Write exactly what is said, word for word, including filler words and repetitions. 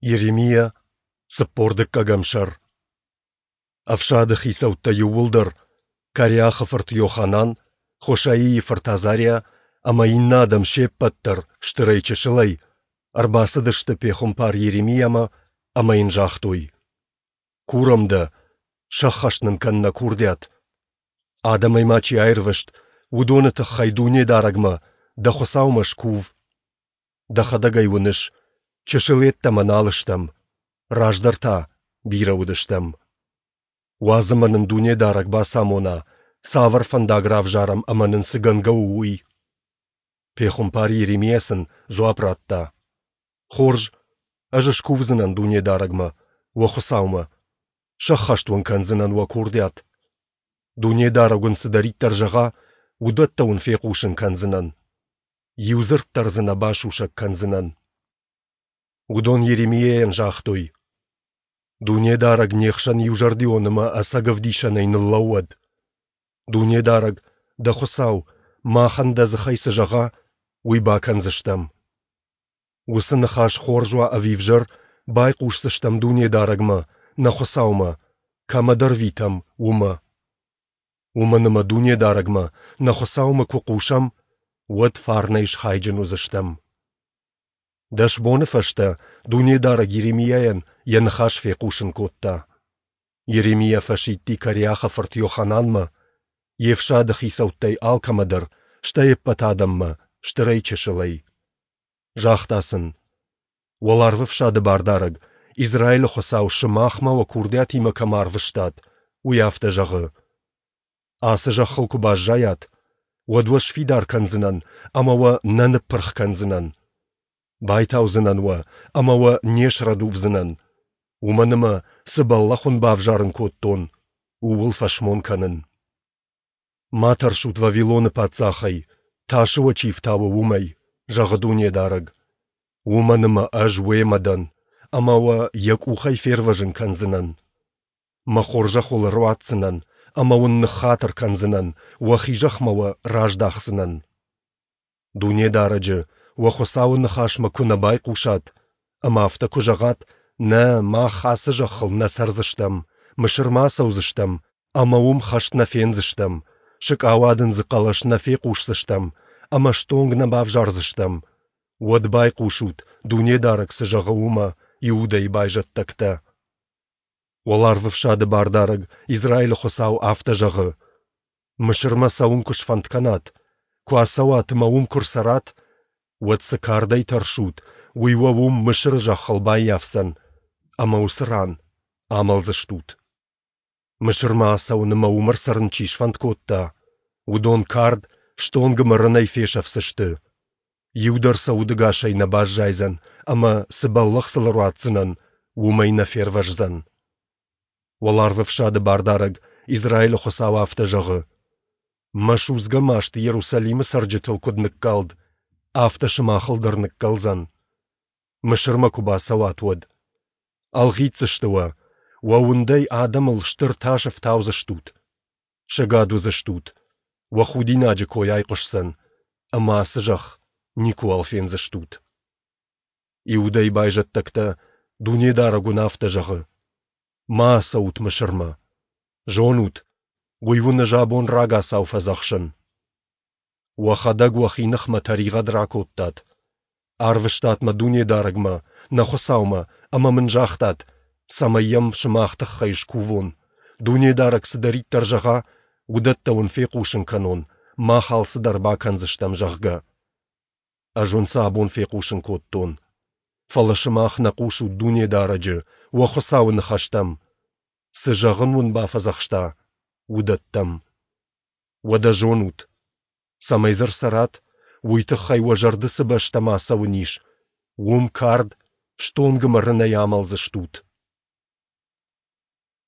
Йеремиа, цыппор дыккӕгӕм сӕр. Ӕфсады хицӕуттӕ иууылдӕр, Кареахы фырт Йоханан, Хошаийы фырт Азариа ӕмӕ иннӕ адӕм се ппӕт дӕр, стырӕй-чысылӕй, ӕрбацыдысты пехуымпар Йеремиамӕ ӕмӕ йын загътой: Курӕм дӕ, сӕххӕст нын кӕн нӕ курдиат. Адӕмӕй ма чи аирвӕзт, уыдоны тыххӕй Дунедарӕгмӕ, дӕ Хуыцаумӕ, скув. Дӕхӕдӕг ӕй уыныс, чысыл йеддӕмӕ нал стӕм, раздӕр та бирӕ уыдыстӕм. Уадз ӕмӕ нын Дунедарӕг бацамона, цавӕр фӕндаг равзарӕм ӕмӕ нын цы гӕнгӕ у, уый. Пехуымпар Йеремиа сын дзуапп радта: Хорз, ӕз скувдзынӕн Дунедарӕгмӕ, уӕ Хуыцаумӕ, сӕххӕст уын кӕндзынӕн уӕ курдиат. Дунедарӕг уын цыдӕриддӕр зӕгъа, уыдӕттӕ уын фехъусын кӕндзынӕн. Иу дзырд дӕр дзы нӕ басусӕг кӕндзынӕн. Уыдон Йеремиайӕн загътой: Дунедарӕг не хсӕн иузӕрдион ӕмӕ ӕцӕг ӕвдисӕнӕй ныллӕууӕд. Дунедарӕг, дӕ Хуыцау, махӕн дӕ дзыхӕй цы зӕгъа, уый бакӕндзыстӕм. Уыцы ныхас хорз уа ӕви ӕвзӕр, байхъусдзыстӕм Дунедарӕгмӕ, нӕ Хуыцаумӕ, кӕмӕ дӕ рвитӕм, уымӕ. Уымӕн ӕмӕ Дунедарӕгмӕ, нӕ Хуыцаумӕ куы хъусӕм, уӕд фарнӕй схайджын уыдзыстӕм. Дӕс боны фӕстӕ Дунедарӕг Йеремиайӕн йӕ ныхас фехъусын кодта. Йеремиа фӕсидти Кареахы фырт Йохананмӕ, йе фсады хицӕуттӕй алкӕмӕ дӕр, стӕй ӕппӕт адӕммӕ, стырӕй-чысылӕй. Загъта сын: Уӕларвӕфсады Бардарӕг, Израилы Хуыцау, сымах мӕ уӕ курдиатимӕ кӕмӕ арвыстат, уый афтӕ зӕгъы: Ацы зӕххыл куы баззайат, уӕд уӕ сфидар кӕндзынӕн ӕмӕ уӕ нӕ ныппырх кӕндзынӕн. Байтаудзынӕн уӕ ӕмӕ уӕ не срӕдувдзынӕн, уымӕн ӕмӕ, цы бӕллӕх уын бавзарын кодтон, ууыл фӕсмон кӕнын. Ма тӕрсут Вавилоны паддзахӕй, тасы уӕ чи фтауы, уымӕй, зӕгъы Дунедарӕг. Уымӕн ӕмӕ Ӕз уемӕ дӕн, ӕмӕ уӕ йӕ къухӕй фервӕзын кӕндзынӕн. Мӕ хорзӕх уыл ӕруадздзынӕн ӕмӕ уын ныххатыр кӕндзынӕн, уӕхи зӕхмӕ уӕ раздахдзынӕн. Дунедарӕджы, уӕ Хуыцауы ныхасмӕ куы нӕ байхъусат ӕмӕ афтӕ куы зӕгъат: «Нӕ, мах ацы зӕххыл нӕ цӕрдзыстӕм, Мысырмӕ ацӕудзыстӕм ӕмӕ уым хӕст нӕ фендзыстӕм, сыкъауадындзы хъӕлӕс нӕ фехъусдзыстӕм ӕмӕ стонг нӕ бавзардзыстӕм», уӕд байхъусут, Дунедарӕг цы зӕгъы, уымӕ, Иудӕйы байзӕддӕгтӕ. Уӕларвӕфсады Бардарӕг, Израилы Хуыцау, афтӕ зӕгъы: Мысырмӕ цӕуын куы сфӕнд кӕнат, куы ацӕуат ӕмӕ уым куы рцӕрат, уӕд цы кардӕй тӕрсут, уый уӕ уым Мысыры зӕххыл баййафдзӕн, ӕмӕ уыцы ран амӕлдзыстут. Мысырмӕ ацӕуын ӕмӕ уым ӕрцӕрын чи сфӕнд кодта, уыдон кард, стонг ӕмӕ рынӕй фесӕфдзысты. Иу дӕр сӕ удӕгасӕй нӕ баззайдзӕн ӕмӕ, цы бӕллӕх сыл ӕруадздзынӕн, уымӕй нӕ фервӕздзӕн. Уӕларвӕфсады Бардарӕг, Израилы Хуыцау, афтӕ зӕгъы: Мӕ судзгӕ маст Иерусалимы цӕрджытыл куыд ныккалд, афтӕ сымахыл дӕр ныккӕлдзӕн, Мысырмӕ куы бацӕуат, уӕд. Ӕлгъитдзысты уӕ, уӕ уындӕй адӕмыл стыр тас ӕфтаудзыстут. Сӕгад уыдзыстут, уӕ худинаджы кой айхъуысдзӕн, ӕмӕ ацы зӕхх никуыуал фендзыстут. Иудӕйы байзӕддӕгтӕ, Дунедарӕг уын афтӕ зӕгъы: Ма ацӕут Мысырмӕ. Зонут, уый уын ӕз абон рагацау фӕдзӕхсын. Уӕхӕдӕг уӕхи ныхмӕ тӕригъӕд ракодтат. Арвыстат мӕ Дунедарӕгмӕ, нӕ Хуыцаумӕ, ӕмӕ мын загътат, цӕмӕй йӕм сымах тыххӕй скувон, Дунедарӕг цыдӕриддӕр зӕгъа, уыдӕттӕ уын фехъусын кӕнон, мах алцыдӕр бакӕндзыстӕм, зӕгъгӕ. Ӕз уын сӕ абон фехъусын кодтон. Фӕлӕ сымах нӕ хъусут Дунедарӕджы, уӕ Хуыцауы ныхӕстӕм, цы зӕгъын уын бафӕдзӕхста, уыдӕттӕм. Уӕдӕ зонут, цӕмӕй дзы рцӕрат, уый тыххӕй уӕ зӕрды цы бӕстӕм ацӕуын ис, уым кард, стонг ӕмӕ рынӕй амӕлдзыстут.